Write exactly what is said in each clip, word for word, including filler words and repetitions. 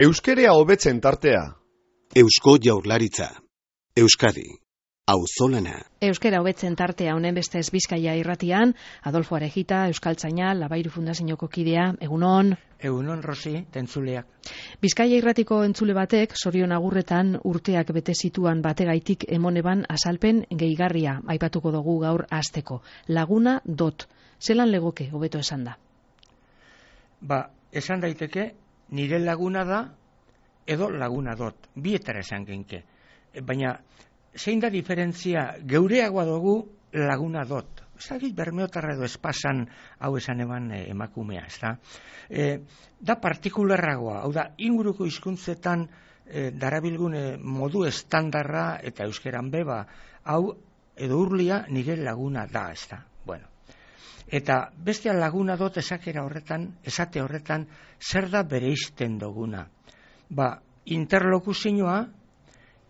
Euskerea hobetzen tartea. Eusko Jaurlaritza. Euskadi. Auzolana. Euskera hobetzen tartea honen bestez Bizkaia irratian, Adolfo Arejita, Euskaltzaina, Labairu Fundazioko kidea, egunon. Egunon, Rosi, tentzuleak. Bizkaia irratiko entzule batek, Sorion Agurretan urteak bete zituan bategaitik emoneban azalpen gehigarria, aipatuko dugu gaur hasteko. Laguna dot. Zelan legoke hobeto esan da? Ba, esan daiteke, nire laguna da, edo laguna dot. Bietara esan genke. Baina, zein da diferentzia, geureagoa dugu laguna dot. Ez da, bermeotarra edo espasan hau esan eban e, emakumea, ez da? E, da partikularragoa, hau da, inguruko hizkuntzetan e, darabilgun e, modu estandarra eta euskeran beba, hau edo urlia nire laguna da, ez da? Bueno. Eta bestea laguna dot esakera horretan, esate horretan, zer da bereizten duguna. Ba, interlokuzioa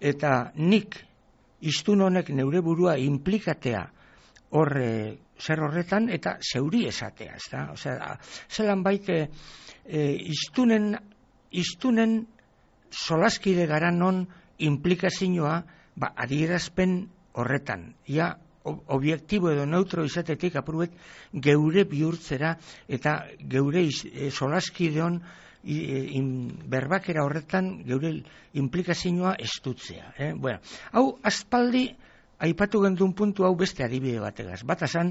eta nik iztun honek neure burua implikatea hor e, zer horretan eta zeuri esatea, ez da? Osea, zelan baite e, iztunen, iztunen solaskide gara non implikazioa ba, adierazpen horretan. Ja, objektibo edo neutro izatetik apurbet geure bihurtzera eta geure e, solaskideon I, in, berbakera horretan geure implikazioa estutzea. Eh? Bueno, hau aspaldi aipatu gendun puntu hau beste adibide bategaz. Bat esan,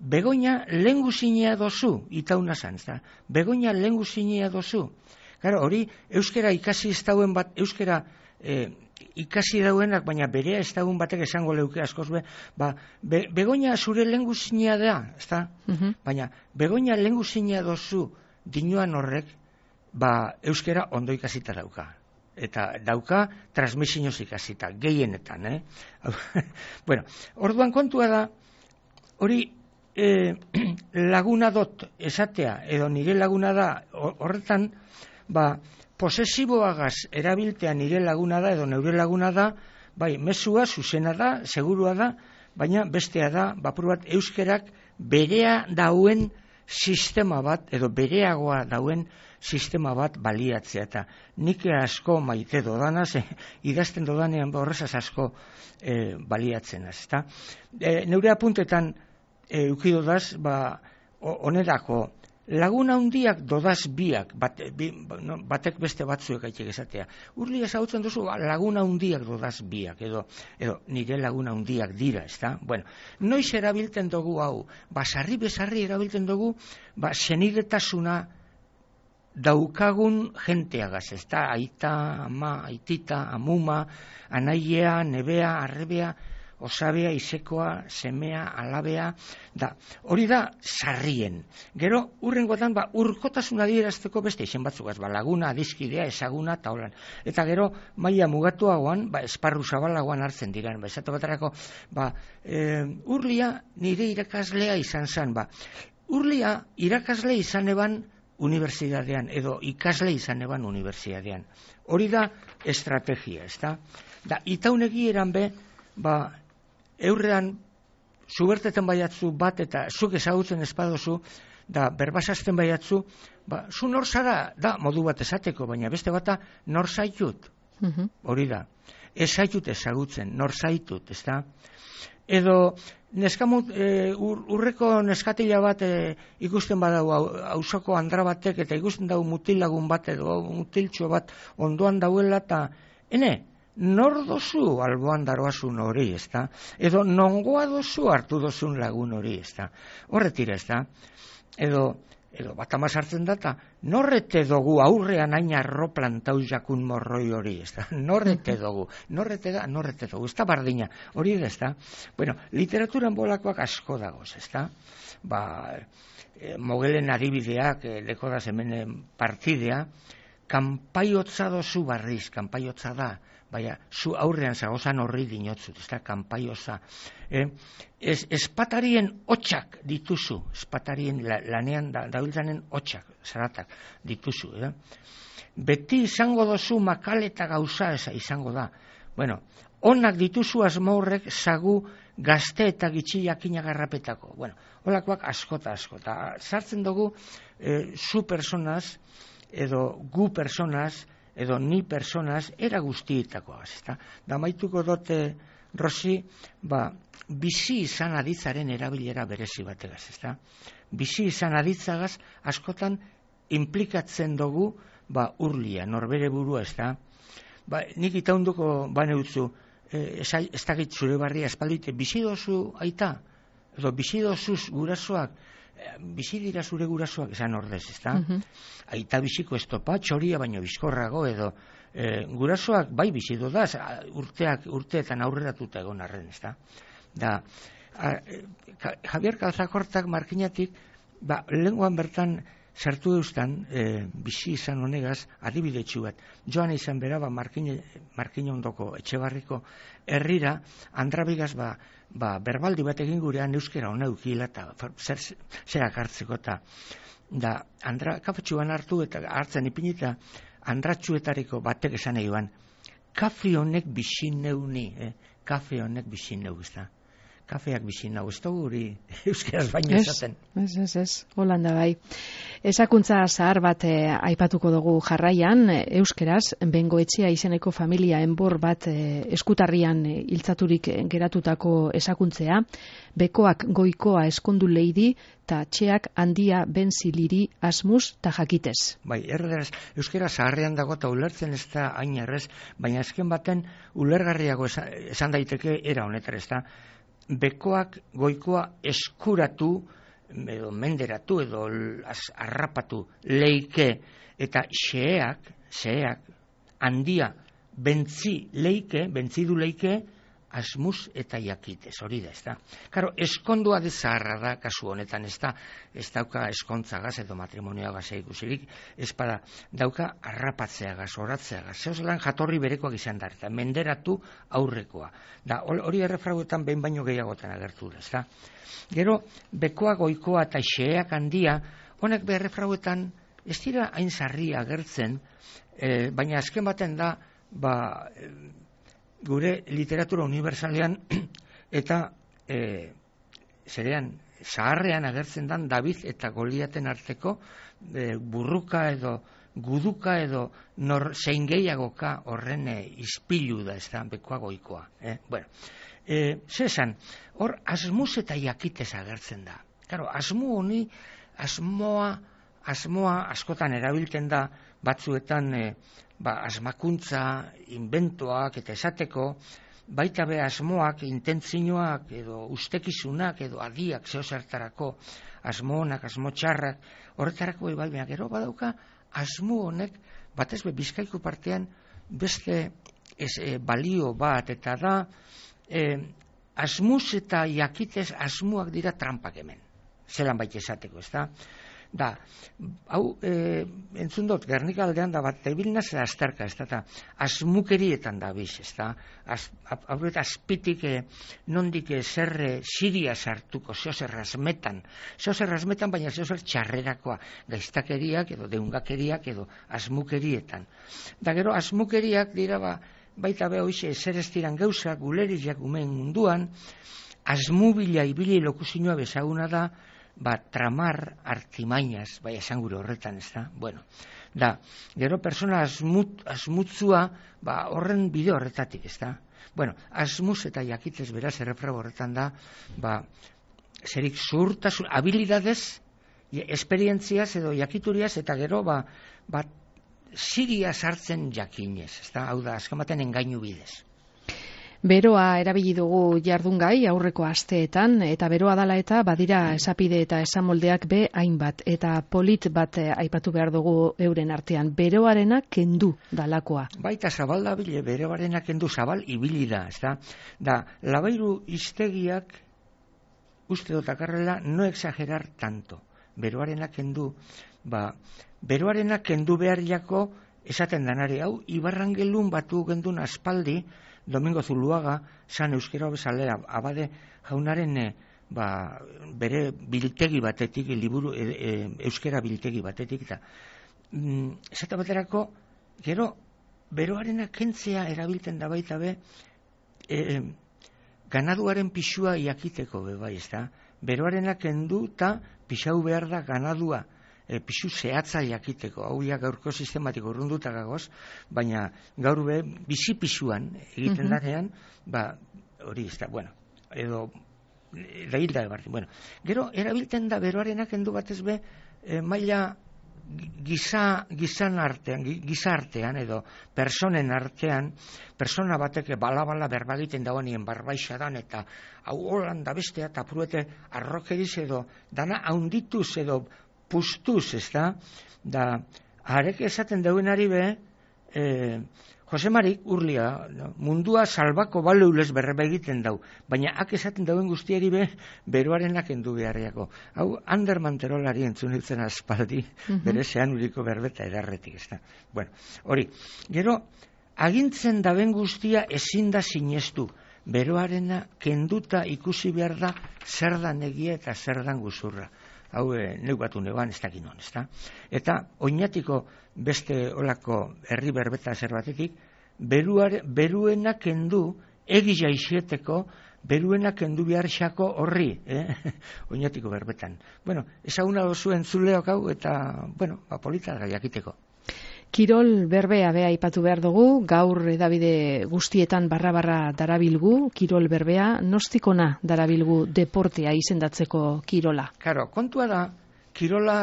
Begoña lenguzinea dozu, itauna zan, da? Begoña lenguzinea dozu. Claro, hori euskera ikasi ez dauen bat, euskera eh, ikasi dauenak, baina berea ez dauen batek esango leuke askoz be, ba, be, Begoña zure lenguzinea da, ez da? Uh-huh. Baina, Begoña lenguzinea dozu dinoan horrek, ba, euskera ondo ikasita dauka. Eta dauka transmisioz ikasita, gehienetan, eh? Bueno, orduan kontua da, hori eh, laguna dot esatea, edo nire laguna da, horretan, ba, posesiboagaz erabiltea nire laguna da, edo neure laguna da, bai, mezua, zuzena da, segurua da, baina bestea da, bapur bat, euskerak berea dauen sistema bat, edo bereagoa dauen sistema bat baliatzea, eta nik asko maite dodanaz, eh, idazten dodanean horrezaz asko eh, baliatzen az, eta e, neure apuntetan e, ukidodaz, ba, onerako, laguna hundiak dodaz biak, bat, bi, no, batek beste batzuek aitek esatea. Urli ezagutzen duzu, ba, laguna hundiak dodaz biak, edo, edo nire laguna hundiak dira, ezta? Bueno, noiz erabiltzen dugu hau, ba, sarri bezarri erabiltzen dugu, ba, senidetasuna daukagun jenteagaz, ez da, aita, ama, aitita, amuma, anaiea, nebea, arrebea, osabea, isekoa, semea, alabea, da, hori da sarrien. Gero, urrengotan, ba, urkotasuna adierazteko beste izen batzukaz, ba, laguna, adizkidea, ezaguna, eta holan. Eta gero, maila mugatuagoan, ba, esparru zabalagoan hartzen diran, ba, esatu baterako, ba, e, urlia nire irakaslea izan zen, ba, urlia irakasle izan eban unibertsitatean, edo ikasle izan eban unibertsitatean. Hori da estrategia, ez da? Da, itaunegi eran be, ba, eurrean, zuberteten baiatzu bat, eta zuk ezagutzen espadozu, da, berbasazten baiatzu, ba, zu nor zara, da, modu bat esateko, baina beste bata, nor zaitut. Uh-huh. Hori da. Ez zaitut ezagutzen, nor zaitut, ez da? Edo, neskamut, e, ur, urreko neskatila bat e, ikusten badau auzoko andra batek, eta ikusten dau mutilagun bat, edo mutiltxo bat ondoan dauela, eta, ene, nor dozu alboan daroazun hori, ez da? Edo, nongoa dozu hartu dozun lagun hori, ez da? Horretira, ez da? Edo, edo bat amaz hartzen data, norrete dugu aurrean hain arro plantau jakun morroi hori, ez da? Norrete dugu, norrete da, norrete dugu, ez da bardina, hori ez da? Bueno, literaturan bolakoak asko dagoz, ez da? Ba, e, mogelen adibideak, e, leko da hemen partidea, kanpaiotza dozu barriz, kanpaiotza da, baina, zu aurrean zagozan horri dinotzut, ez da, kanpaioza. Eh? Ez, espatarien hotxak dituzu, espatarien la, lanean da, dabiltzanen hotxak, zaratak dituzu. Eh? Beti izango dozu makal eta gauza eza izango da. Bueno, onak dituzu asmaurrek zagu gazte eta gitxiakin agarrapetako. Bueno, holakoak askota askota. Sartzen dugu, eh, zu personaz, edo gu personaz, edo ni personaz, era guztietakoaz, ezta? Da maituko dote, Rosi, ba, bizi izan aditzaren erabilera berezi bategaz, ezta? Bizi izan aditzagaz, askotan implikatzen dugu, ba, urlia, norbere burua, ezta? Ba, nik itaunduko bane utzu, e, ez dakit zure barria espaldite, bizi dozu aita, edo bizi dozuz gurasoak, bizi dira zure gurasoak, esan ordez, ezta? Uh-huh. Aita biziko estopa, txoria baino bizkorrago, edo e, gurasoak bai bizi dodaz, urteak, urteetan aurreratuta egon arren, ezta? Da, a, a, Javier Calzakortak markinatik, ba, lenguan bertan sartu eustan, e, bizi izan honegaz, adibidetxu bat. Joan izan bera, ba, markine, markine ondoko etxebarriko herrira, andrabigaz, ba, ba, berbaldi bat egin gurean euskera hona eukila, eta zer, zerak hartzeko, eta da, andra, kafetxuan hartu, eta hartzen ipinita, andratxuetariko batek esan egin, kafe honek bizi neuni, eh? Kafe honek bizi neu, ez da. Kafeak bizi nau, ez da guri euskeraz baino esaten. Ez, ez, ez, Holanda bai. Ezakuntza zahar bat eh, aipatuko dugu jarraian, euskeraz, Bengoetxea izeneko familia enbor bat eh, eskutarrian eh, iltzaturik geratutako ezakuntzea, bekoak goikoa eskondu leidi, eta txeak handia benziliri asmus ta jakitez. Bai, erderaz, euskera zaharrean dago eta ulertzen ez da hain errez, baina azken baten ulergarriago esan, esan daiteke era honetar ez da, bekoak goikoa eskuratu, edo menderatu, edo arrapatu leike, eta xeak, xeak, handia, bentzi leike, bentzidu leike, asmus eta jakitez, hori da, ez da. Karo, eskondua de zaharra da, kasu honetan, ez da, ez dauka eskontzagaz edo matrimonioagaz ikusirik, ez bada, dauka arrapatzeagaz, oratzeagaz, zehozelan jatorri berekoak izan da, eta menderatu aurrekoa. Da, hori errefrauetan behin baino gehiagotan agertu da, ez da. Gero, bekoa goikoa eta xeak handia, honek be errefrauetan ez dira hain zarria agertzen, eh, baina azken baten da, ba, gure literatura universalean eta e, zerean zaharrean agertzen dan David eta Goliaten arteko e, burruka edo guduka edo nor zein gehiagoka horren e, izpilu da, ez da, bekoa goikoa. Eh? Bueno, e, zesan, hor asmuz eta jakitez agertzen da. Claro, asmu honi, asmoa, asmoa askotan erabiltzen da batzuetan e, ba, asmakuntza, inventoak eta esateko, baita be asmoak, intentzioak edo ustekizunak edo adiak zeozertarako, asmonak, asmo txarrak, horretarako bai, baina gero badauka asmo honek, batez be Bizkaiko partean beste ez, e, balio bat, eta da e, asmuz eta jakitez asmoak dira trampak hemen, zelan baita esateko, ez da? Da, hau, e, entzun dut, Gernika aldean da bat, ebilnaz azterka, ez da, asmukerietan da biz, ez da, hau eta azpitik e, nondik e, zerre siria sartuko, zeozer razmetan, zeozer razmetan, baina zeozer txarrerakoa, gaiztakeriak edo deungakeriak edo asmukerietan. Da, gero, asmukeriak dira, ba, baita beha hoize, zer ez diran gauzak, guleriak umen munduan, asmubila ibili lokuzinua bezaguna da, ba, tramar artimainas, bai esan gure horretan, ez da? Bueno, da, gero persona asmut, asmutzua, ba, horren bide horretatik, ez da? Bueno, asmuz eta jakitez beraz errefrago horretan da, ba, zerik zuhurtasun, habilidades, esperientziaz edo jakituriaz, eta gero, ba, ba, ziria sartzen jakinez, ez da? Hau da, azken baten engainu bidez. Beroa erabili dugu jardungai aurreko asteetan, eta beroa dala eta badira esapide eta esamoldeak be hainbat, eta polit bat aipatu behar dugu euren artean, beroarena kendu dalakoa. Baita zabal da bile, beroarena kendu zabal ibili da, ez da? Da, labairu iztegiak uste dotakarrela no exagerar tanto. Beroarena kendu, ba, beroarena kendu behar jako esaten danari, hau, Ibarrangelun batu gendun aspaldi, Domingo Zuluaga, san euskera bezalera, abade jaunaren e, ba, bere biltegi batetik, liburu e, e, euskera biltegi batetik, eta mm, esate baterako, gero, beroarena kentzea erabiltzen da baita be, e, ganaduaren pixua jakiteko be bai, ez da? Beroarena kendu eta pixau behar da ganadua e, pixu zehatza jakiteko, hau ja gaurko sistematiko urrunduta gagoz, baina gaur be, bizi pixuan egiten Mhm. danean, ba, hori ez da, bueno, edo, da hilda ebarri, bueno. Gero, erabiltzen da beroarenak endu batez be, e, maila giza, gizan artean, giza artean edo personen artean, persona batek bala-bala berbagiten dagoenien barbaixadan eta hau holan da bestea eta pruete arrokeriz edo dana haundituz edo pustuz, ez da? Da, harek esaten dauenari be, e, Josemarik urlia, no? Mundua salbako baleulez berreba egiten dau, baina hak esaten dauen guztiari be, beroarenak endu beharriako. Hau, Ander Manterolari entzun hiltzen aspaldi, Mhm. bere zean uriko berbeta edarretik, ez da. Bueno, hori, gero, agintzen daben guztia ezin da sinestu, beroarena kenduta ikusi behar da zer dan egia eta zer dan guzurra. Hau, e, neu batu neuan, ez dakin hon, ez da. Eta, oinatiko beste olako herri berbeta zer batetik, beruare, beruena kendu, egila izieteko, beruena kendu behar xako horri, eh? Oinatiko berbetan. Bueno, ezaguna dozu entzuleok hau, eta, bueno, ba, polita da jakiteko. Kirol berbea bea aipatu behar dugu, gaur edabide guztietan barra-barra darabilgu, kirol berbea, nostikona darabilgu deportea izendatzeko kirola. Karo, kontua da, kirola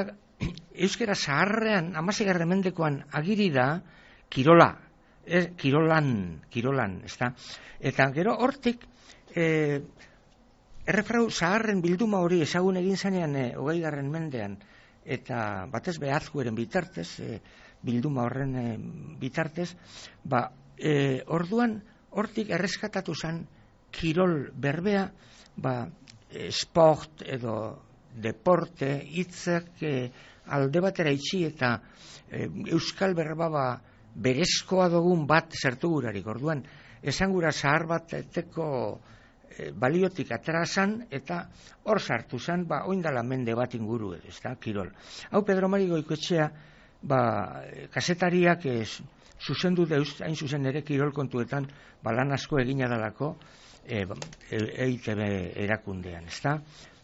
euskera zaharrean, amasegarren mendekoan agiri da, kirola, ez, kirolan, kirolan, ez da? Eta gero hortik, e, errefrau zaharren bilduma hori ezagun egin zanean, e, hogei garren mendean, eta batez behazgueren bitartez, e, bilduma horren e, bitartez, ba, e, orduan hortik erreskatatu zen kirol berbea, ba, e, sport edo deporte, hitzak e, alde batera itxi eta e, euskal berba ba, berezkoa dugun bat zertu gurarik. Orduan, esangura zahar bat eteko e, baliotik atrasan eta hor sartu zen, ba, oindala mende bat inguru edo, ez da, kirol. Hau Pedro Mari Goikoetxea, ba, kasetariak ez, zuzendu deuz, hain zuzen ere kirol kontuetan, ba, lan asko egina dalako e, E I T B erakundean, ez da?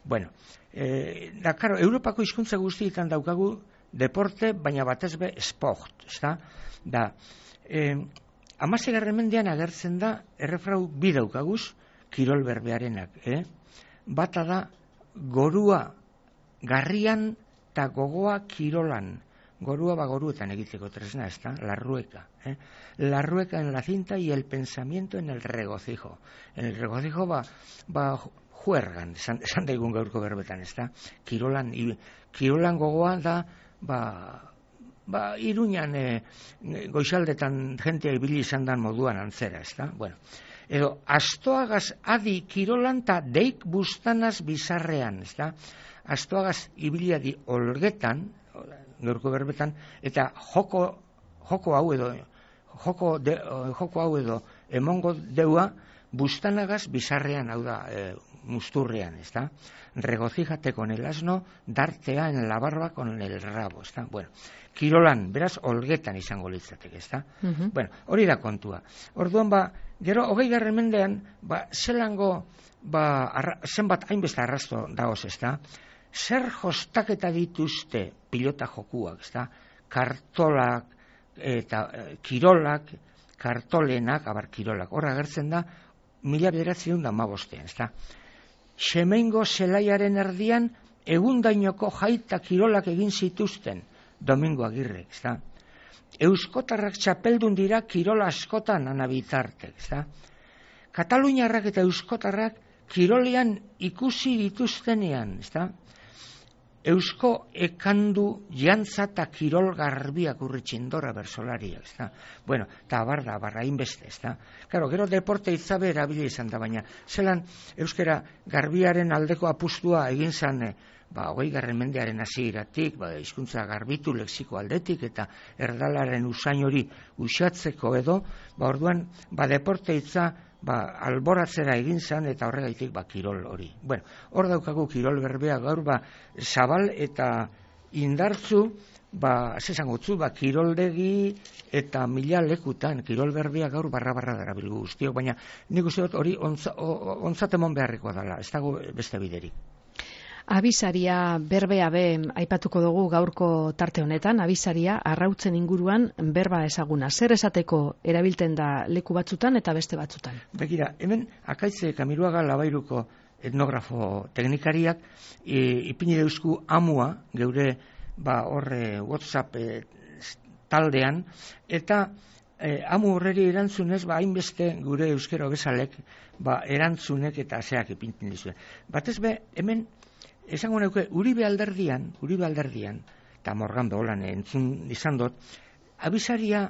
Bueno, e, da, karo, Europako hizkuntza guztietan daukagu deporte, baina batez be sport, ez da? Da, e, amasegarren mendean agertzen da, errefrau bi daukaguz, kirol berbearenak, eh? Bata da, gorua garrian eta gogoa kirolan. Gorua ba goruetan egiteko tresna, ez da? La rueca, eh? La rueca en la cinta y el pensamiento en el regocijo. En el regocijo ba, ba juergan, esan, esan daigun gaurko berbetan, ez da? Kirolan, i, kirolan gogoa da, ba, ba Iruñan e, goizaldetan jentea ibili izan dan moduan antzera, ez da? Bueno, edo, astoagaz adi kirolan ta deik bustanaz bizarrean, ez da? Astoagaz ibiliadi olgetan, gaurko berbetan, eta joko, joko hau edo, joko, de, joko hau edo emongo deua, bustanagaz bizarrean, hau da, e, musturrean, ez da? Regocijate con el asno, dartea en la barba con el rabo, ez da? Bueno, kirolan, beraz, olgetan izango litzatek, ez da? Mhm. Bueno, hori da kontua. Orduan, ba, gero, hogei garren mendean, ba, zelango, ba, arra, zenbat hainbeste arrasto dagoz, ez da? Zer jostaketa dituzte pilota jokuak, ez da? Kartolak eta e, kirolak, kartolenak, abar kirolak, horra agertzen da, mila bederatzen da mabostean, ez da? Xemeingo zelaiaren erdian, egundainoko jaita kirolak egin zituzten, Domingo Agirrek, ez da? Euskotarrak txapeldun dira kirola askotan anabitartek, ez da? Kataluniarrak eta euskotarrak kirolean ikusi dituztenean, ez da? Eusko ekandu jantza eta kirol garbiak urritxindora bersolariak, ez da? Bueno, eta barda, barra inbeste, ez da? Claro, gero deporte itzabe erabili izan da, baina zelan euskera garbiaren aldeko apustua egin zan, ba, hogei garren mendearen hasieratik, ba, hizkuntza garbitu lexiko aldetik, eta erdalaren usain hori usatzeko edo, ba, orduan, ba, deporte itza, ba, alboratzera egin zan eta horregaitik ba, kirol hori. Bueno, hor daukagu kirol berbea gaur, ba, zabal eta indartzu, ba, zesan gutzu, ba, kiroldegi eta mila lekutan, kirol berbea gaur barra-barra darabilgu guztiok, baina nik uste dut hori ontza, ontzat emon beharrikoa dela, ez dago beste biderik. Abisaria berbea be aipatuko dugu gaurko tarte honetan, abisaria arrautzen inguruan berba ezaguna. Zer esateko erabilten da leku batzutan eta beste batzutan? Begira, hemen Akaitze Kamiruaga Labairuko etnografo teknikariak e, ipini deusku amua geure ba horre WhatsApp e, taldean eta e, amu horreri erantzunez ba hainbeste gure euskera bezalek ba erantzunek eta zeak ipintzen dizue. Batez be hemen esango neuke Uribe alderdian, Uribe alderdian eta Morgan Beolan entzun izan dut, abisaria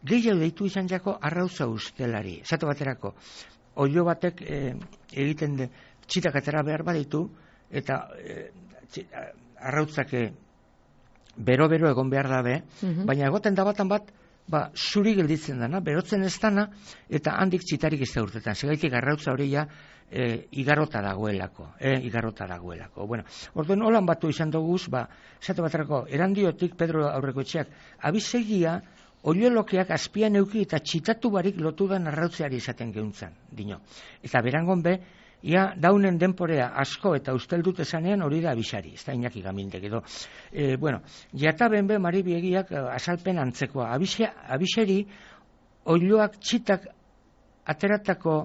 gehiago deitu izan jako arrautza ustelari. Esate baterako, oilo batek e, egiten de txitak atera behar baditu, eta e, arrautzake bero-bero egon behar dabe, uh-huh. baina egoten da batan bat, ba, zuri gelditzen dana, berotzen ez dana, eta handik txitarik ez da urtetan. Segaitik arrautza hori ja, e, igarrota dagoelako, e, igarrota dagoelako. Bueno, orduen holan batu izan duguz, ba, esate baterako, erandiotik Pedro Aurrekoetxeak, abisegia, oiolokeak azpian euki eta txitatu barik lotudan arrautzeari izaten geuntzan, dino. Eta berangon be, ia daunen denporea asko eta usteldut esanean hori da abisari, ez da Iñaki Gamindek edo. E, bueno, jataben be Maribiegiak azalpen antzekoa. Abise, abiseri oiloak txitak ateratako,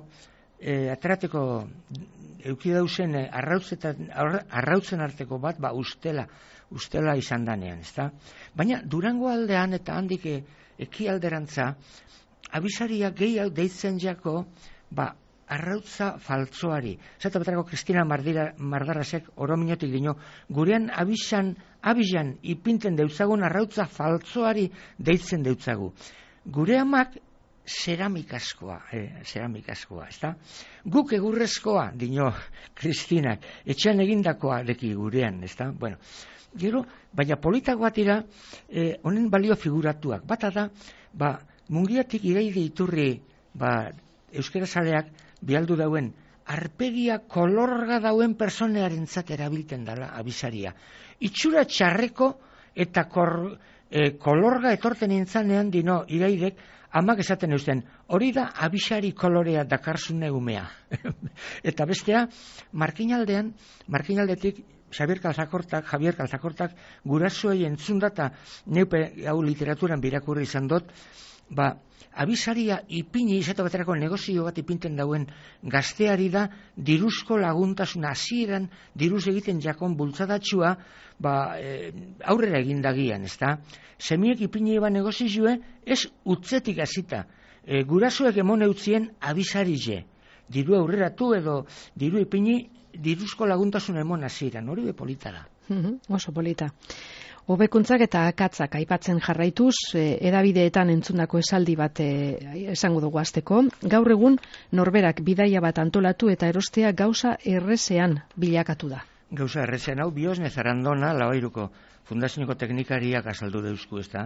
e, aterateko eukidauzen arrautzen, arrautzen arteko bat, ba ustela, ustela izan danean, ez da? Baina Durango aldean eta handik ekialderantza, abisaria gehiago deitzen jako, ba, arrautza faltzoari. Zata baterako Kristina Mardarrasek orominotik dino, gurean abisan, abisan ipinten deutzagun arrautza faltzoari deitzen deutzagu. Gure amak ceramikaskoa, eh, ceramikaskoa, ezta? Guk egurrezkoa, dino Kristinak, etxean egindakoa deki gurean, ezta? Bueno, gero, baina politagoa tira, eh, honen balio figuratuak. Bata da, ba, mungiatik iraide iturri, ba, euskera zaleak, bialdu dauen, arpegia kolorga dauen personearentzat erabilten dela abisaria. Itxura txarreko eta kor, e, kolorga etorten intzanean dino iraidek amak esaten eusten, hori da abisari kolorea dakarzune umea. Eta bestea, markinaldean, markinaldetik Xabier Kalzakortak, Javier Kalzakortak gurasoei entzunda eta neupe hau literaturan birakurri izan dut, ba, abisaria ipini izate baterako negozio bat ipinten dauen gazteari da diruzko laguntasun hasieran diruz egiten jakon bultzadatxua ba, e, aurrera egindagian, ezta? Semiek ipini eba negozioe ez utzetik hasita. E, gurasoek emon eutzien abisarize. Diru aurreratu edo diru ipini diruzko laguntasun emon hasieran. Hori be polita da. Oso polita. Hobekuntzak eta akatzak aipatzen jarraituz, e, edabideetan entzundako esaldi bat e, esango dugu hasteko. Gaur egun norberak bidaia bat antolatu eta erostea gauza errezean bilakatu da. Gauza errezean hau Biosne Zarandona, Labairuko Fundazioko teknikariak azaldu deuzku, ez da.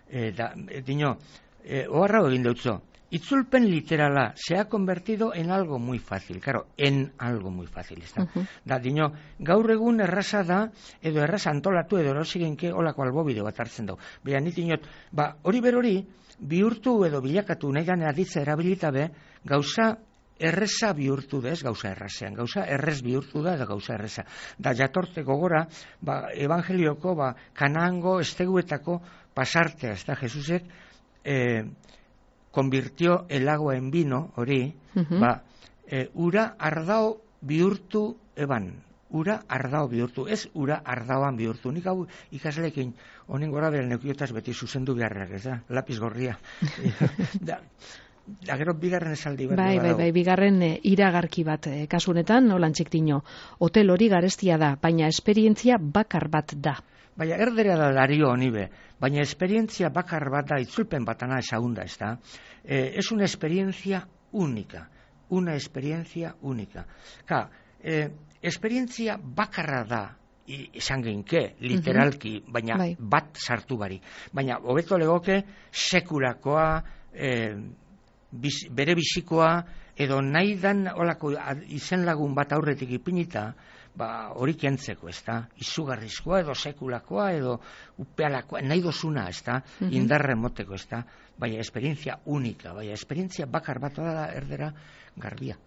E, da e, dino, e, oharra egin deutzo. Itzulpen literala se ha convertido en algo muy fácil, claro, en algo muy fácil, ez da. Uh-huh. Da, dino, gaur egun erraza da, edo erraza antolatu edo erosigenke olako albobide bat hartzen dugu. Baina nit inot, ba, hori berori, bihurtu edo bilakatu nahi gane aditza erabilitabe, gauza erreza bihurtu da, ez gauza errazean, gauza errez bihurtu da edo gauza erreza. Da, jatorte gogora, ba, evangelioko, ba, Kanaango, esteguetako pasartea, ez da, Jesusek, eh, konvirtió el agua en vino, hori, uh-huh. ba, e, ura ardao bihurtu eban, ura ardao bihurtu, ez ura ardaoan bihurtu. Nik hau ikasleekin honen gora beren neukiotaz beti zuzendu beharrak, ez da, lapiz gorria. da, da, gero bigarren esaldi bat. Bai, bai, bai, bigarren e, iragarki bat e, kasunetan, nolan txiktino, hotel hori garestia da, baina esperientzia bakar bat da. Baina erdera da dario honibe, baina esperientzia bakar bat da, itzulpen batana ezagunda, ez da. Eh, es una experiencia única, una experiencia única. Ka, eh, esperientzia bakarra da, izan genke, literalki, uh-huh. baina bai. Bat sartu barik. Baina, hobeto legoke, sekulakoa, eh, biz, bere bizikoa, edo nahi dan olako izen lagun bat aurretik ipinita, ba, hori kentzeko, ez da, izugarrizkoa edo sekulakoa edo upealakoa, nahi dozuna, ez da, uh-huh. indarren moteko, ez da, baina esperientzia unika, baina esperientzia bakar bat da erdera garbia.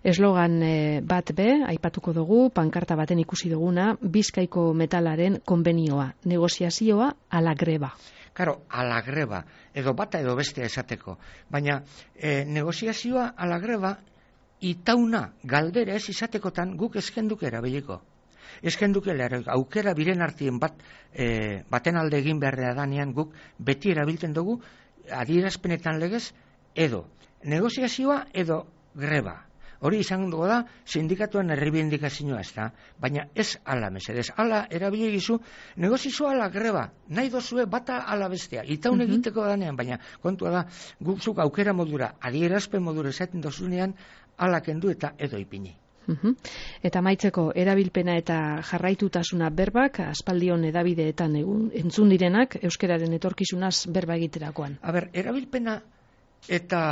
Eslogan e, bat be, aipatuko dugu, pankarta baten ikusi duguna, Bizkaiko metalaren konbenioa, negoziazioa ala greba. Karo, ala greba, edo bata edo bestea esateko, baina e, negoziazioa ala greba, itauna galdera ez izatekotan guk eskenduke erabiliko. Eskenduke aukera biren artien bat, e, baten alde egin beharrea danean guk beti erabiltzen dugu adierazpenetan legez edo negoziazioa edo greba. Hori izango da sindikatuen erreibindikazioa ez da, baina ez ala mesedez. Ala erabili gizu, negozioa ala greba, nahi dozue bata ala bestea. Itaun uh-huh. egiteko danean, baina kontua da, guzuk aukera modura, adierazpen modura esaten dozunean, ala kendu eta edo ipini. Uhum. Eta maitzeko erabilpena eta jarraitutasuna berbak, aspaldion edabideetan egun, entzun direnak, euskeraren etorkizunaz berba egiterakoan. A ber, erabilpena eta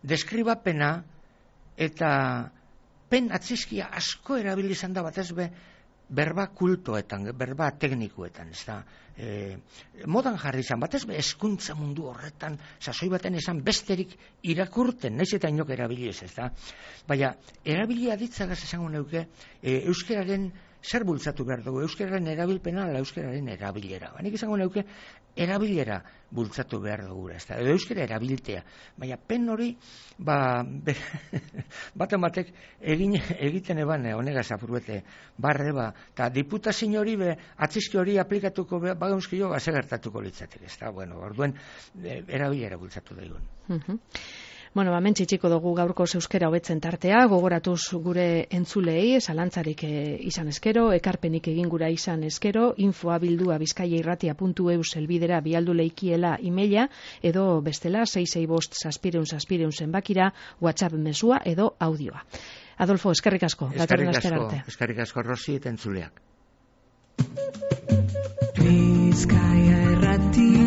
deskribapena eta pen atzizkia asko erabili izan da batez be, berba kultoetan, berba teknikuetan, ez da. E, modan jarri izan, batez be, eskuntza mundu horretan, sasoi baten esan besterik irakurten, naiz eta inok erabili ez, ez da. Baina, erabili aditzagaz esango neuke, e, euskeraren zer bultzatu behar dugu, euskeraren erabilpena ala euskeraren erabilera. Baina, izango neuke, erabilera bultzatu behar dugu, ez da. Edo euskera erabiltea. Baina, pen hori, ba, baten batek egin, egiten eban, honegaz apurbete, barre, ba, eta diputazio hori, be, atzizki hori aplikatuko be, bagaunzkio, ba, segertatuko litzatek, ez da. Bueno, orduen, e, erabilera bultzatu daigun. Uh-huh. Bueno, ba, mentxitxiko dugu gaurko euskera hobetzen tartea, gogoratuz gure entzulei, zalantzarik e, izan eskero, ekarpenik egin gura izan eskero, infoa bildua bizkaiairratia puntu eus elbidera bialdu leikiela emaila, edo bestela, sei sei bost zazpireun zazpireun zenbakira, WhatsApp mesua edo audioa. Adolfo, eskerrik asko. Eskerrik asko, eskerrik asko, Rosi eta entzuleak. Bizkaia irratia